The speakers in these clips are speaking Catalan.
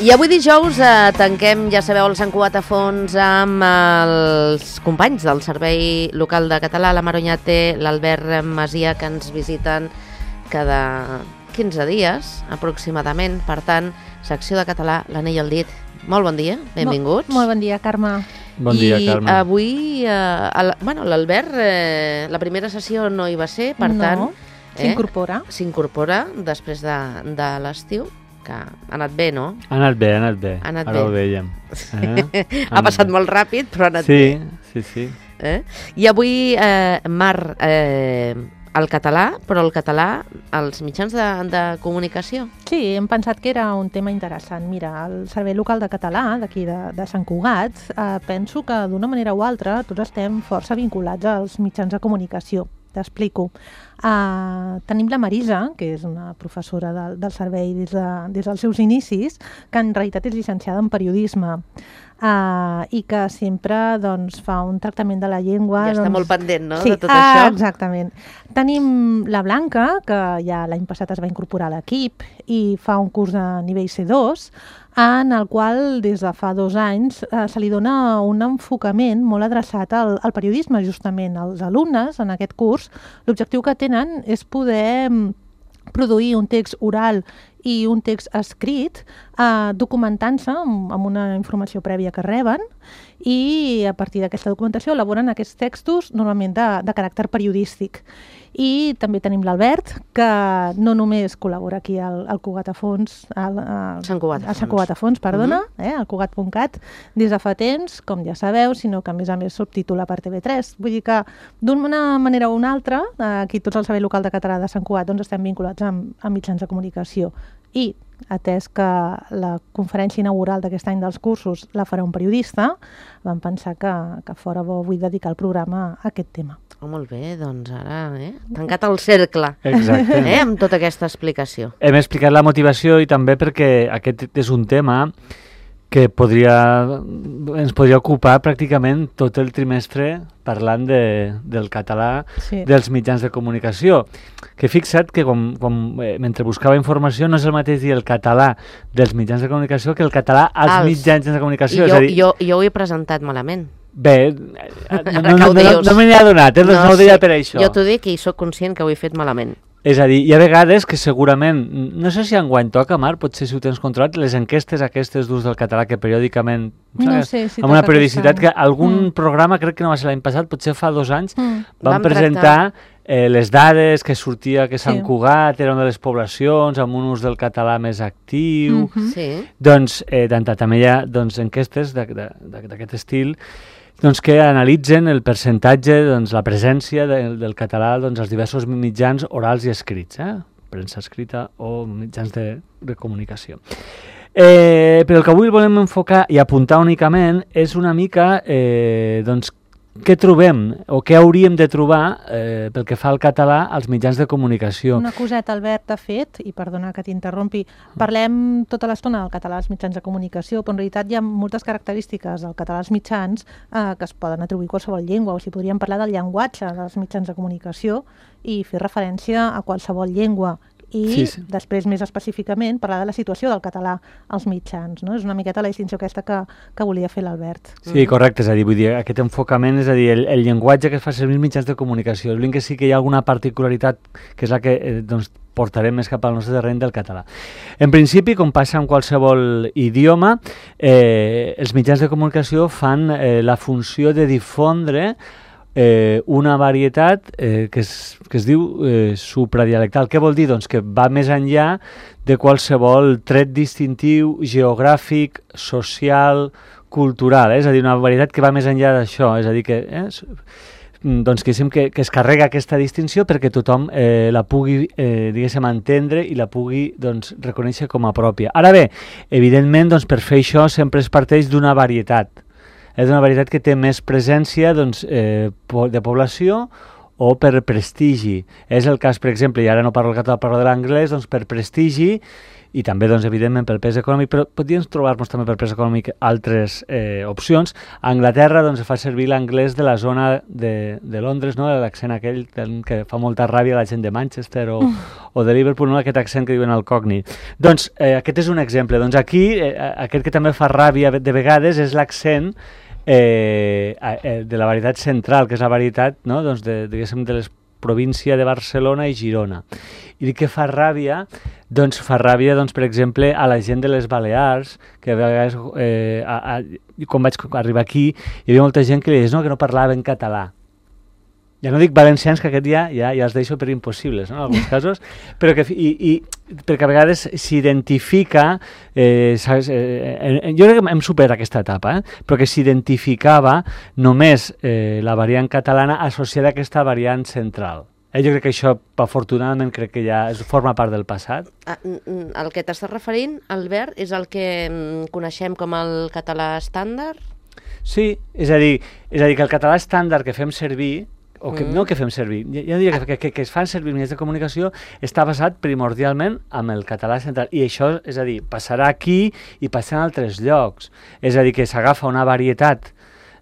I avui dijous tanquem, ja sabeu, el Sant Cugat a fons amb els companys del Servei Local de Català, la Maronyate, l'Albert Masia, que ens visiten cada 15 dies aproximadament. Per tant, secció de català, l'anell al dit. Molt bon dia, benvinguts. Molt bon dia, Carme. Bon dia, Carme. I avui, l'Albert, la primera sessió no hi va ser, per tant... S'incorpora. S'incorpora després de l'estiu, que ha anat bé, no? Ha anat bé. Ara ho dèiem. Ha passat molt ràpid, però ha anat bé. Sí. I avui, Mar, el català, però el català als mitjans de comunicació. Sí, hem pensat que era un tema interessant. Mira, el Servei Local de Català, d'aquí de Sant Cugat, penso que d'una manera o altra tots estem força vinculats als mitjans de comunicació. T'explico. Tenim la Marisa, que és una professora del servei des dels seus inicis, que en realitat és llicenciada en periodisme i que sempre fa un tractament de la llengua... Ja està molt pendent, no?, sí, de tot això. Exactament. Tenim la Blanca, que ja l'any passat es va incorporar a l'equip i fa un curs de nivell C2, en el qual des de fa 2 anys se li dona un enfocament molt adreçat al periodisme, justament. Els alumnes en aquest curs, l'objectiu que tenen és poder produir un text oral i un text escrit documentant-se amb una informació prèvia que reben i a partir d'aquesta documentació elaboren aquests textos normalment de caràcter periodístic. I també tenim l'Albert, que no només col·labora aquí al Cugat a Fons, al Sant Cugat a Fons, perdona, al Cugat.cat, des de fa temps, com ja sabeu, sinó que a més subtitula per TV3. Vull dir que d'una manera o una altra, aquí tots el Servei Local de Català de Sant Cugat estem vinculats amb mitjans de comunicació. I atès que la conferència inaugural d'aquest any dels cursos la farà un periodista, vam pensar que fora bo avui dedicar el programa a aquest tema. Oh, molt bé, doncs ara, tancat el cercle. Exacte. Amb tota aquesta explicació. Hem explicat la motivació i també perquè aquest és un tema que ens podria ocupar pràcticament tot el trimestre parlant del català dels mitjans de comunicació. Que fixa't que mentre buscava informació no és el mateix dir el català dels mitjans de comunicació que el català als mitjans de comunicació. Jo ho he presentat malament. Bé, no me n'he adonat, no ho deia per això. Jo t'ho dic i soc conscient que ho he fet malament. És a dir, hi ha vegades que segurament, no sé si enguany toca, Mar, potser si ho tens controlat, les enquestes aquestes d'ús del català que periòdicament, amb una periodicitat que algun programa, crec que no va ser l'any passat, potser fa 2 anys, van presentar les dades que sortia que Sant Cugat era una de les poblacions amb un ús del català més actiu. Doncs també hi ha enquestes d'aquest estil que analitzen el percentatge, la presència del català als diversos mitjans orals i escrits, premsa escrita o mitjans de comunicació. Però el que avui volem enfocar i apuntar únicament és una mica què trobem o què hauríem de trobar pel que fa al català als mitjans de comunicació. Una coseta, Albert, ha fet, i perdona que t'interrompi, parlem tota l'estona del català als mitjans de comunicació, però en realitat hi ha moltes característiques del català als mitjans que es poden atribuir a qualsevol llengua, o sigui, podríem parlar del llenguatge dels mitjans de comunicació i fer referència a qualsevol llengua. I després, més específicament, parlar de la situació del català als mitjans. No? És una miqueta la distinció aquesta que volia fer l'Albert. Sí, correcte, és a dir, vull dir, aquest enfocament, és a dir, el llenguatge que es fa servir als mitjans de comunicació. És que sí que hi ha alguna particularitat que és la que portarem més cap al nostre terreny del català. En principi, com passa en qualsevol idioma, els mitjans de comunicació fan la funció de difondre una varietat que es diu supradialectal. Què vol dir? Doncs que va més enllà de qualsevol tret distintiu, geogràfic, social, cultural. És a dir, una varietat que va més enllà d'això. És a dir, que es carrega aquesta distinció perquè tothom la pugui, diguéssim, entendre i la pugui reconèixer com a pròpia. Ara bé, evidentment, per fer això sempre es parteix d'una varietat. És una varietat que té més presència de població o per prestigi. És el cas, per exemple, i ara no parlo el català, parlo de l'anglès, per prestigi i també, doncs, evidentment, pel pes econòmic, però podríem trobar-nos també per pes econòmic altres opcions. A Anglaterra, doncs, fa servir l'anglès de la zona de Londres, no? L'accent aquell que fa molta ràbia a la gent de Manchester o de Liverpool, no? Aquest accent que diuen el cockney. Doncs, aquest és un exemple. Doncs aquí, aquest que també fa ràbia de vegades és l'accent de la varietat central, que és la varietat, no? Doncs diguéssim, de les província de Barcelona i Girona. I dic que fa ràbia, doncs, per exemple, a la gent de les Balears, que a vegades, quan vaig arribar aquí, hi havia molta gent que li deia que no parlava en català. Ja no dic valencians, que aquest ja els deixo per impossibles, no?, en alguns casos, però que, perquè a vegades s'identifica, jo crec que hem superat aquesta etapa, però que s'identificava només la variant catalana associada a aquesta variant central. Jo crec que això, afortunadament, crec que ja forma part del passat. El que t'estàs referint, Albert, és el que coneixem com el català estàndard? Sí, és a dir, que el català estàndard que fem servir, o que no que fem servir, jo diria que es fan servir mitjans de comunicació, està basat primordialment amb el català central. I això, és a dir, passarà aquí i passarà en altres llocs. És a dir, que s'agafa una varietat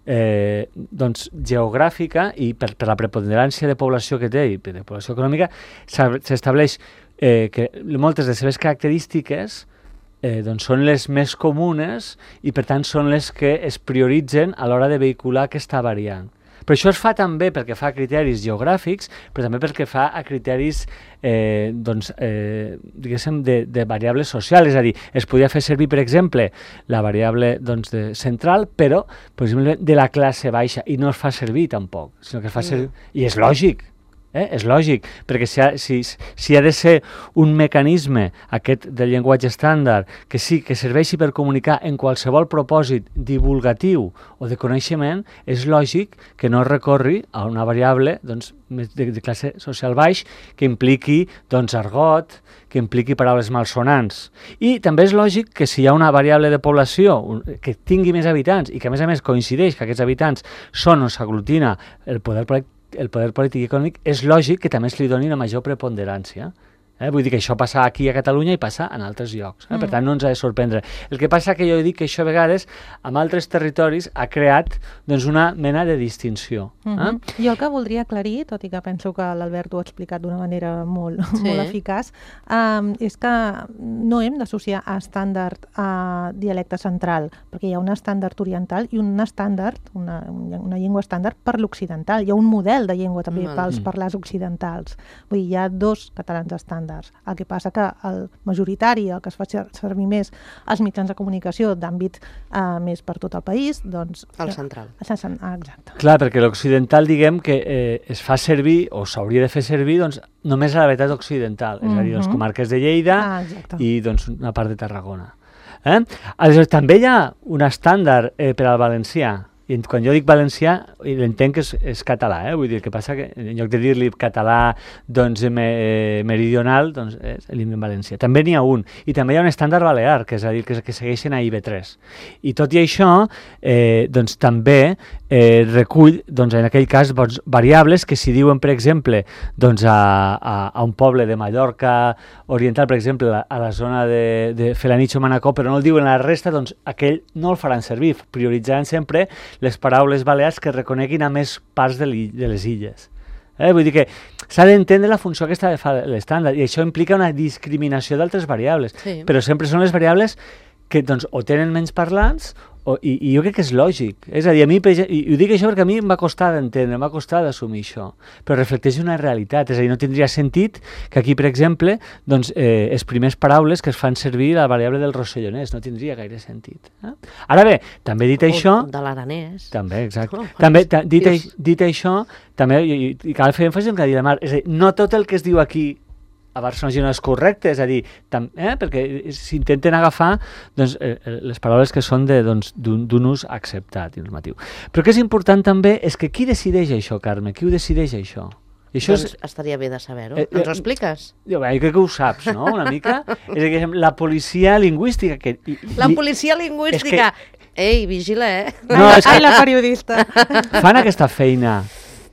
doncs, geogràfica i per la preponderància de població que té i de població econòmica s'estableix que moltes de les seves característiques doncs són les més comunes i per tant són les que es prioritzen a l'hora de vehicular aquesta variant. Però això es fa també perquè fa criteris geogràfics, però també perquè fa a criteris diguéssim, de variables socials. És a dir, es podia fer servir, per exemple, la variable central, però, per exemple, de la classe baixa, i no es fa servir tampoc, sinó que es fa servir... I és lògic. És lògic, perquè si ha de ser un mecanisme, aquest del llenguatge estàndard, que sí, que serveixi per comunicar en qualsevol propòsit divulgatiu o de coneixement, és lògic que no recorri a una variable de classe social baix que impliqui argot, que impliqui paraules malsonants. I també és lògic que si hi ha una variable de població que tingui més habitants i que a més coincideix que aquests habitants són on s'aglutina el poder polític i econòmic, és lògic que també es li doni una major preponderància. Vull dir que això passa aquí a Catalunya i passa en altres llocs. Per tant, no ens ha de sorprendre. El que passa que jo dic que això a vegades en altres territoris ha creat una mena de distinció. Jo el que voldria aclarir, tot i que penso que l'Albert ho ha explicat d'una manera molt eficaç, és que no hem d'associar a estàndard a dialecte central, perquè hi ha un estàndard oriental i un estàndard, una llengua estàndard per l'occidental. Hi ha un model de llengua també pels parlars occidentals. Vull dir, hi ha dos catalans estàndards. El que passa que el majoritari, el que es fa servir més als mitjans de comunicació d'àmbit més per tot el país, doncs... El central. Exacte. Clar, perquè l'occidental, diguem, que es fa servir, o s'hauria de fer servir, només a la veritat occidental, és a dir, les comarques de Lleida i una part de Tarragona. Aleshores, també hi ha un estàndard per al valencià. I quan jo dic valencià, entenc que és català, vull dir, el que passa que en lloc de dir-li català meridional, és l'himne valencià. També n'hi ha un, i també hi ha un estàndard balear, que és a dir, que segueixen a IB3. I tot i això, també recull, en aquell cas, variables que si diuen, per exemple, a un poble de Mallorca oriental, per exemple, a la zona de Felanitx o Manacor, però no el diuen a la resta, aquell no el faran servir, prioritzaran sempre les paraules balears que reconeguin a més parts de les illes. Vull dir que s'ha d'entendre la funció aquesta de fa l'estàndard, i això implica una discriminació d'altres variables, però sempre són les variables que o tenen menys parlants i jo crec que és lògic. És a dir, i ho dic això perquè a mi em va costar d'entendre, em va costar d'assumir això, però reflecteix una realitat. És a dir, no tindria sentit que aquí, per exemple, les primeres paraules que es fan servir la variable del rossellonès, no tindria gaire sentit. Ara bé, també dit això... O de l'aranès. També, exacte. També, dit això, també cal fer èmfasi en el que ha dit la Mar. És a dir, no tot el que es diu aquí a Barcelona no és correcte, és a dir, perquè s'intenten agafar les paraules que són d'un ús acceptat i normatiu. Però el que és important també és que qui decideix això, Carme? Qui ho decideix això? Estaria bé de saber-ho. Ens ho expliques? Jo crec que ho saps, no?, una mica. És a dir, la policia lingüística... La policia lingüística! Ei, vigila, No, la periodista. Fan aquesta feina.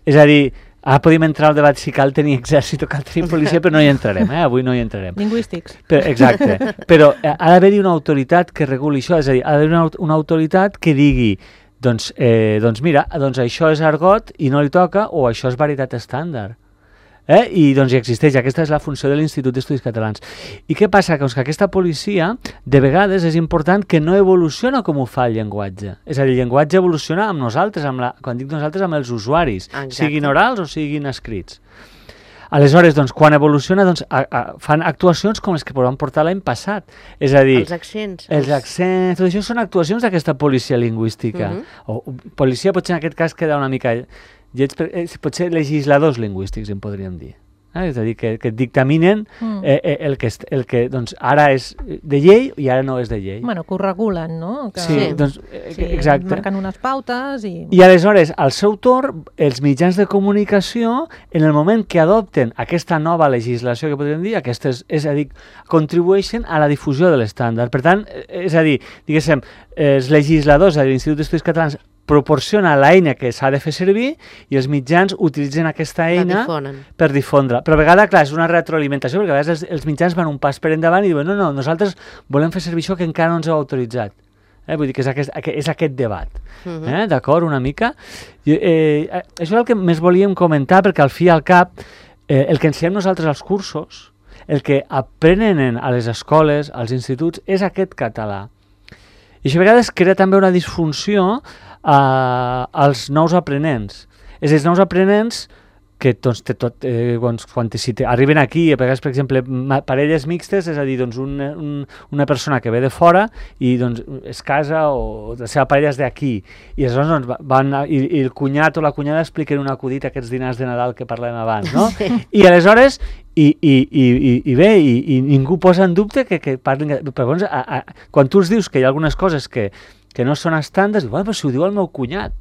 És a dir, Ara podríem entrar al debat si cal tenir exèrcit o cal tenir policia, però no hi entrarem, avui no hi entrarem. Lingüístics. Exacte, però ha d'haver-hi una autoritat que reguli això, és a dir, ha d'haver una autoritat que digui doncs mira, això és argot i no li toca, o això és varietat estàndard. I doncs hi existeix, aquesta és la funció de l'Institut d'Estudis Catalans. I què passa? Que aquesta policia, de vegades és important que no evoluciona com ho fa el llenguatge. És a dir, el llenguatge evoluciona amb nosaltres, quan dic nosaltres, amb els usuaris, siguin orals o siguin escrits. Aleshores, quan evoluciona, fan actuacions com les que van portar l'any passat. És a dir, els accents, tot això són actuacions d'aquesta policia lingüística. O policia potser en aquest cas queda una mica... potser legisladors lingüístics en podríem dir. És a dir, que dictaminen el que doncs, ara és de llei i ara no és de llei. Bueno, que ho regulen, no? Sí, exacte. Marquen unes pautes i... I aleshores, al seu torn, els mitjans de comunicació, en el moment que adopten aquesta nova legislació, que podríem dir, és a dir, contribueixen a la difusió de l'estàndard. Per tant, és a dir, diguéssim, els legisladors de l'Institut d'Estudis Catalans proporciona l'eina que s'ha de fer servir i els mitjans utilitzen aquesta eina per difondre. Però a vegades, clar, és una retroalimentació, perquè a vegades els mitjans van un pas per endavant i diuen no, nosaltres volem fer servir això que encara no ens heu autoritzat. Vull dir que és aquest debat. D'acord, una mica? Això és el que més volíem comentar, perquè al fi i al cap, el que ensenyem nosaltres als cursos, el que aprenen a les escoles, als instituts, és aquest català. I això a vegades crea també una disfunció als nous aprenents. És a dir, els nous aprenents que quan arriben aquí, a vegades, per exemple, parelles mixtes, és a dir, una persona que ve de fora i es casa o la seva parella és d'aquí i aleshores i el cunyat o la cunyada expliquen un acudit a aquests dinars de Nadal que parlem abans, no? I aleshores i ningú posa en dubte que parlin... Però quan tu els dius que hi ha algunes coses que no són estàndards, dius, però si ho diu el meu cunyat.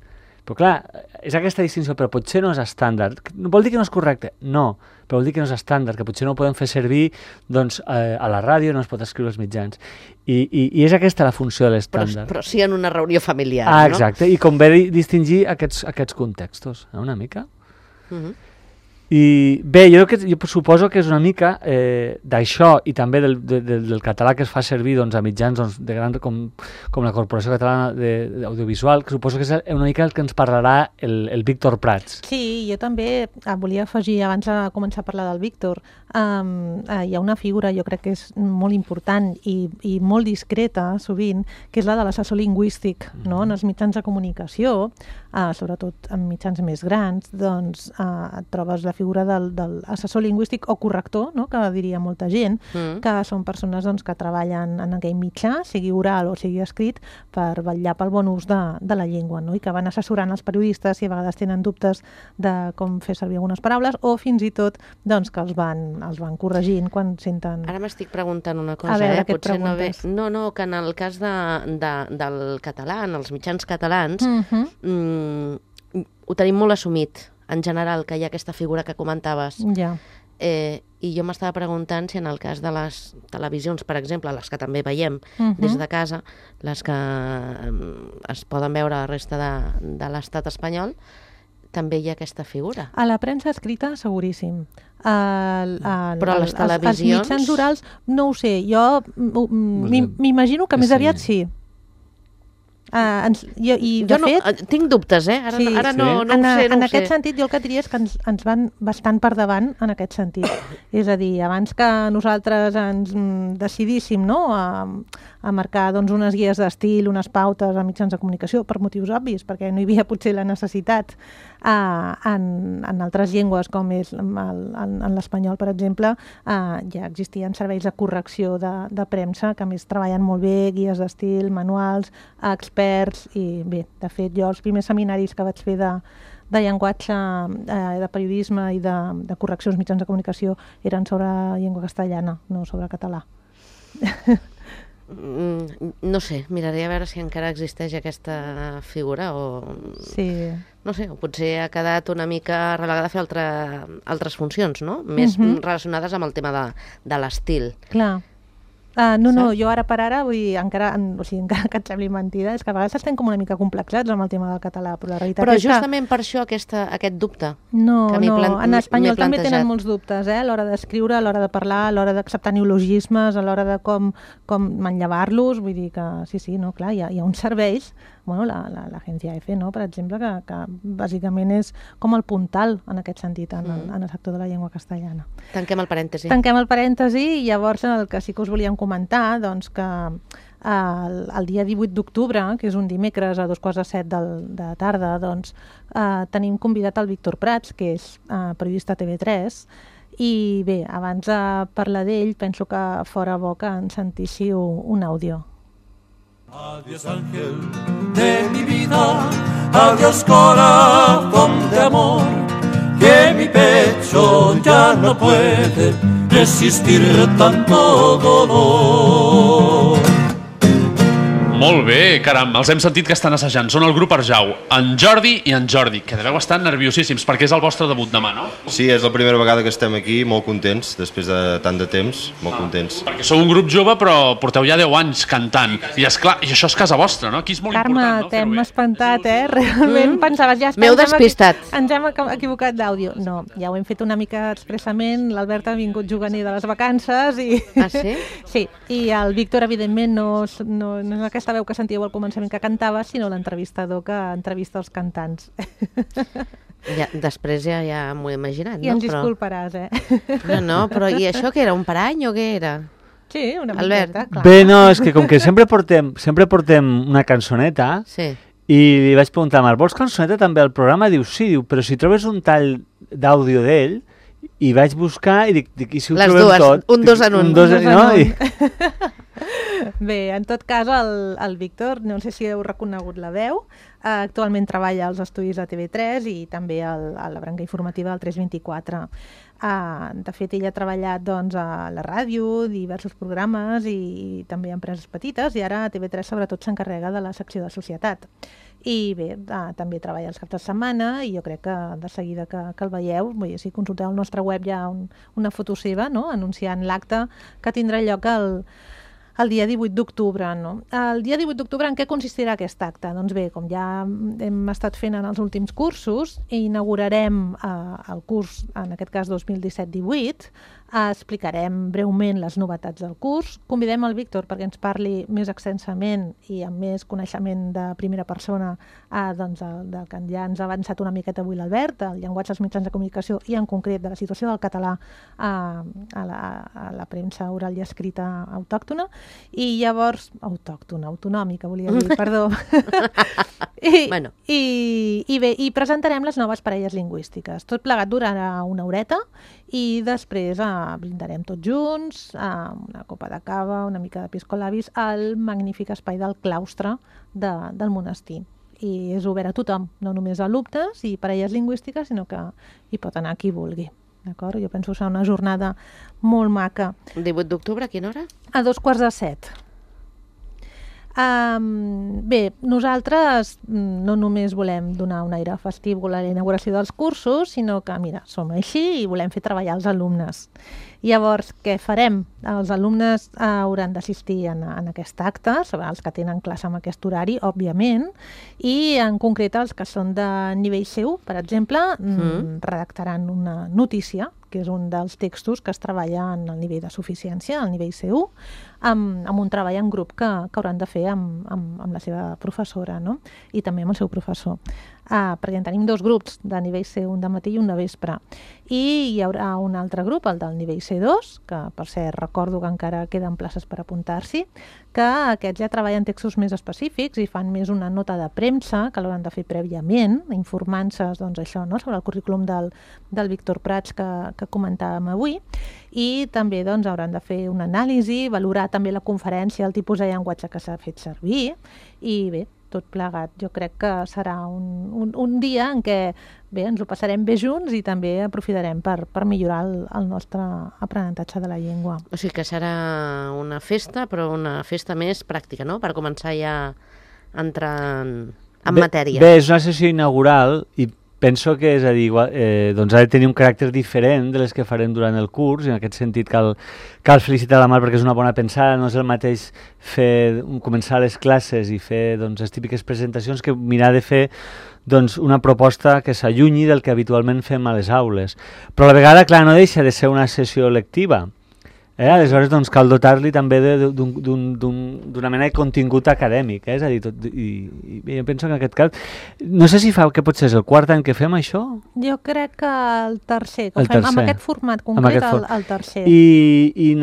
Però clar, és aquesta distinció, però potser no és estàndard. Vol dir que no és correcte? No, però vol dir que no és estàndard, que potser no ho podem fer servir a la ràdio, no es pot escriure als mitjans. I és aquesta la funció de l'estàndard. Però sí en una reunió familiar, no? Exacte, i convé distingir aquests contextos, una mica. I bé, jo suposo que és una mica d'això i també del català que es fa servir a mitjans de gran com la Corporació Catalana d'Audiovisual, que suposo que és una mica el que ens parlarà el Víctor Prats. Sí, jo també volia afegir, abans de començar a parlar del Víctor, hi ha una figura, jo crec que és molt important i molt discreta sovint, que és la de l'assessor lingüístic, no? En els mitjans de comunicació, sobretot en mitjans més grans, doncs et trobes la figura de l'assessor lingüístic o corrector, no? Que diria molta gent, que són persones que treballen en aquell mitjà, sigui oral o sigui escrit, per vetllar pel bon ús de la llengua, no? I que van assessorant els periodistes i a vegades tenen dubtes de com fer servir algunes paraules o fins i tot que els van corregint quan senten... Ara m'estic preguntant una cosa, potser no ve... No, que en el cas del català, en els mitjans catalans, ho tenim molt assumit, en general, que hi ha aquesta figura que comentaves. Ja. I jo m'estava preguntant si en el cas de les televisions, per exemple, les que també veiem des de casa, les que es poden veure a la resta de l'estat espanyol, també hi ha aquesta figura. A la premsa escrita, seguríssim. Però a les televisions... Els mitjans orals, no ho sé. Jo m'imagino que més aviat sí. Tinc dubtes, ara no ho sé. En aquest sentit, jo el que diria és que ens van bastant per davant en aquest sentit. És a dir, abans que nosaltres ens decidíssim a marcar unes guies d'estil, unes pautes a mitjans de comunicació, per motius obvis, perquè no hi havia potser la necessitat en altres llengües, com és en l'espanyol, per exemple, ja existien serveis de correcció de premsa, que a més treballen molt bé, guies d'estil, manuals, experts, i bé, de fet, jo els primers seminaris que vaig fer de llenguatge, de periodisme i de correcció als mitjans de comunicació eren sobre llengua castellana, no sobre català. No sé, miraré a veure si encara existeix aquesta figura o... Sí. No sé, o potser ha quedat una mica relegada a fer altres funcions, no? Més relacionades amb el tema de l'estil. Clar. No, jo ara per ara, vull dir, encara que et sembli mentida, és que a vegades estem com una mica complexats amb el tema del català, però la realitat és que... Però justament per això aquest dubte. No, en espanyol també tenen molts dubtes, a l'hora d'escriure, a l'hora de parlar, a l'hora d'acceptar neologismes, a l'hora de com manllevar-los, vull dir que sí, no, clar, hi ha uns serveis, l'agència EFE, no, per exemple, que bàsicament és com el puntal en aquest sentit, en el sector de la llengua castellana. Tanquem el parèntesi. Tanquem el parèntesi i llavors el que sí que us volíem comentar, doncs que el dia 18 d'octubre, que és un dimecres a 6:45 de tarda, doncs tenim convidat el Víctor Prats, que és periodista a TV3, i bé, abans de parlar d'ell, penso que fora bo que ens sentíssiu un àudio. Adiós ángel de mi vida, adiós corazón de amor, que mi pecho ya no puede resistir tanto dolor. Molt bé, caram, els hem sentit que estan assajant. Són el grup Arjau, en Jordi i en Jordi, que deveu estar nerviosíssims perquè és el vostre debut demà, no? Sí, és la primera vegada que estem aquí, molt contents, després de tant de temps, molt contents. Perquè sou un grup jove, però porteu ja 10 anys cantant. I esclar, i això és casa vostra, no? Aquí és molt important, no? Carme, t'hem espantat, Realment pensaves, ja està. M'heu despistat. Ens hem equivocat d'àudio. No, ja ho hem fet una mica expressament. L'Albert ha vingut juganer de les vacances i... Ah, sí? Sí, i el Víctor, evidentment, no és aquesta veu que sentíeu al començament que cantava, sinó l'entrevistador que entrevista els cantants. Ja, després ja m'ho he imaginat, no? I ens disculparàs, No, però i això què era, un parany o què era? Sí, una Albert. miqueta, clar. Bé, no, és que com que sempre portem una cançoneta, Sí. i li vaig preguntar a Marc, vols cançoneta també al programa? Diu, sí, però si trobes un tall d'àudio d'ell, i vaig buscar i dic, i si ho Les trobem dues, tot? un dos en un. Bé, en tot cas, el Víctor, no sé si heu reconegut la veu, actualment treballa als estudis de TV3 i també a la branca informativa del 324. De fet, ell ha treballat doncs, a la ràdio, diversos programes i també empreses petites, i ara a TV3 sobretot s'encarrega de la secció de societat. I bé, també treballa els caps de setmana i jo crec que de seguida que el veieu, si consulteu el nostre web hi ha una foto seva, no?, anunciant l'acte que tindrà lloc el dia 18 d'octubre. No? El dia 18 d'octubre en què consistirà aquest acte? Doncs bé, com ja hem estat fent en els últims cursos, inaugurarem el curs, en aquest cas 2017-18, explicarem breument les novetats del curs, convidem el Víctor perquè ens parli més extensament i amb més coneixement de primera persona del que ja ens ha avançat una miqueta avui l'Albert, el llenguatge dels mitjans de comunicació i en concret de la situació del català a la premsa oral i escrita autòctona, i llavors autonòmica, volia dir, perdó. I presentarem les noves parelles lingüístiques. Tot plegat durarà una horeta i després brindarem tots junts, una copa de cava, una mica de piscolabis, al magnífic espai del claustre del monestir. I és obert a tothom, no només a alumnes i parelles lingüístiques, sinó que hi pot anar qui vulgui. D'acord? Jo penso que serà una jornada molt maca. 18 d'octubre, a quina hora? A 6:45. Bé, nosaltres no només volem donar un aire festiu a la inauguració dels cursos, sinó que, mira, som així i volem fer treballar els alumnes. Llavors, què farem? Els alumnes hauran d'assistir en aquest acte, els que tenen classe amb aquest horari, òbviament, i en concret els que són de nivell C1, per exemple, redactaran una notícia, que és un dels textos que es treballa en el nivell de suficiència, al nivell C1, amb un treball en grup que hauran de fer amb la seva professora, no? I també amb el seu professor. Perquè en tenim dos grups, de nivell C1 de matí i un de vespre. I hi haurà un altre grup, el del nivell C2, que per cert recordo que encara queden places per apuntar-s'hi, que aquests ja treballen textos més específics i fan més una nota de premsa, que l'hauran de fer prèviament, informant-se doncs, això, no? Sobre el currículum del Víctor Prats que comentàvem avui, i també doncs, hauran de fer una anàlisi, valorar també la conferència, el tipus de llenguatge que s'ha fet servir, i bé, tot plegat. Jo crec que serà un dia en què ens ho passarem bé junts i també aprofitarem per millorar el nostre aprenentatge de la llengua. O sigui que serà una festa, però una festa més pràctica, no?, per començar ja a entrar en matèria. Bé, és una sessió inaugural i penso que, és a dir, doncs ha de tenir un caràcter diferent de les que farem durant el curs, i en aquest sentit cal felicitar la Mar perquè és una bona pensada, no és el mateix començar les classes i fer doncs, les típiques presentacions que mirar de fer doncs, una proposta que s'allunyi del que habitualment fem a les aules. Però a la vegada, clar, no deixa de ser una sessió lectiva. Aleshores, doncs, cal dotar-li també d'una mena de contingut acadèmic, és a dir, i jo penso que en aquest cas, no sé si que potser és el quart any que fem això? Jo crec que el tercer, amb aquest format concret, el tercer. I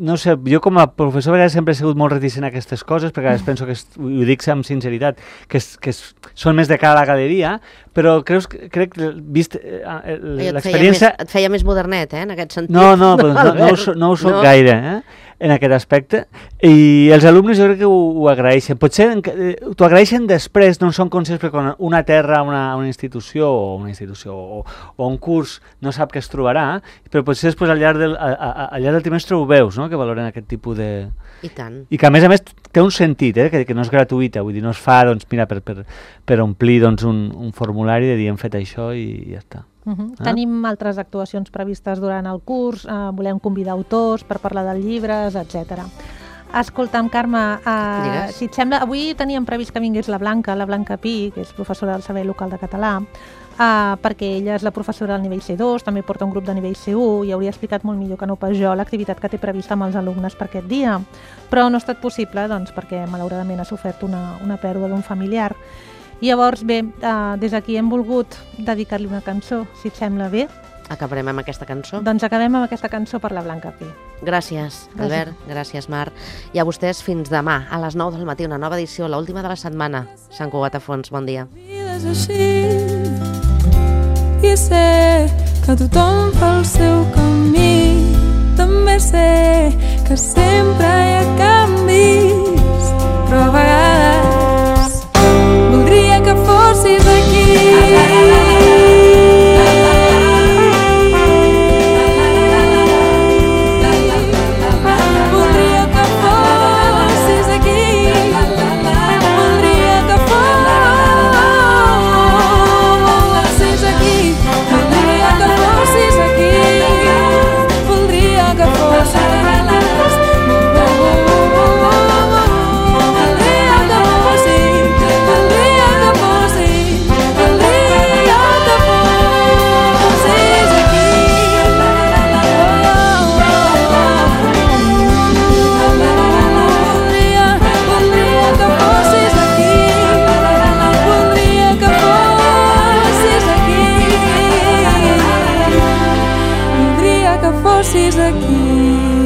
no sé, jo com a professor a vegades sempre he sigut molt reticent a aquestes coses, perquè a vegades penso que, ho dic amb sinceritat, que són més de cara a la galeria, però crec que vist l'experiència... Et feia més modernet, en aquest sentit. No ho soc gaire, en aquest aspecte, i els alumnes jo crec que ho agraeixen. Potser t'ho agraeixen després, no són conscients perquè quan una terra, una institució o un curs no sap què es trobarà, però potser després al llarg del trimestre ho veus, no? Que valoren aquest tipus de... I tant. I que a més té un sentit, que no és gratuïta, vull dir, no es fa, doncs, mira, per omplir doncs, un formulari de dir hem fet això i ja està. Tenim altres actuacions previstes durant el curs, volem convidar autors per parlar de llibres, etc. Escolta'm, Carme, si et sembla, avui teníem previst que vingués la Blanca Pi, que és professora del Servei Local de Català, perquè ella és la professora del nivell C2, també porta un grup de nivell C1 i hauria explicat molt millor que no pas jo l'activitat que té prevista amb els alumnes per aquest dia. Però no ha estat possible, doncs, perquè malauradament ha sofert una pèrdua d'un familiar. I llavors, bé, des d'aquí hem volgut dedicar-li una cançó, si et sembla bé. Acabarem amb aquesta cançó? Doncs acabem amb aquesta cançó per la Blanca Pi. Gràcies, Albert. Gràcies, Mar. I a vostès fins demà, a les 9 del matí, una nova edició, l'última de la setmana. Sant Cugat a Fons, bon dia. És així, i sé que tothom fa el seu camí. També sé que sempre hi ha canvis, però a vegades voldria que fossis aquí. Voldria que fossis aquí. Voldria que fossis aquí. Voldria que fossis aquí. Voldria que fossis fossis aquí.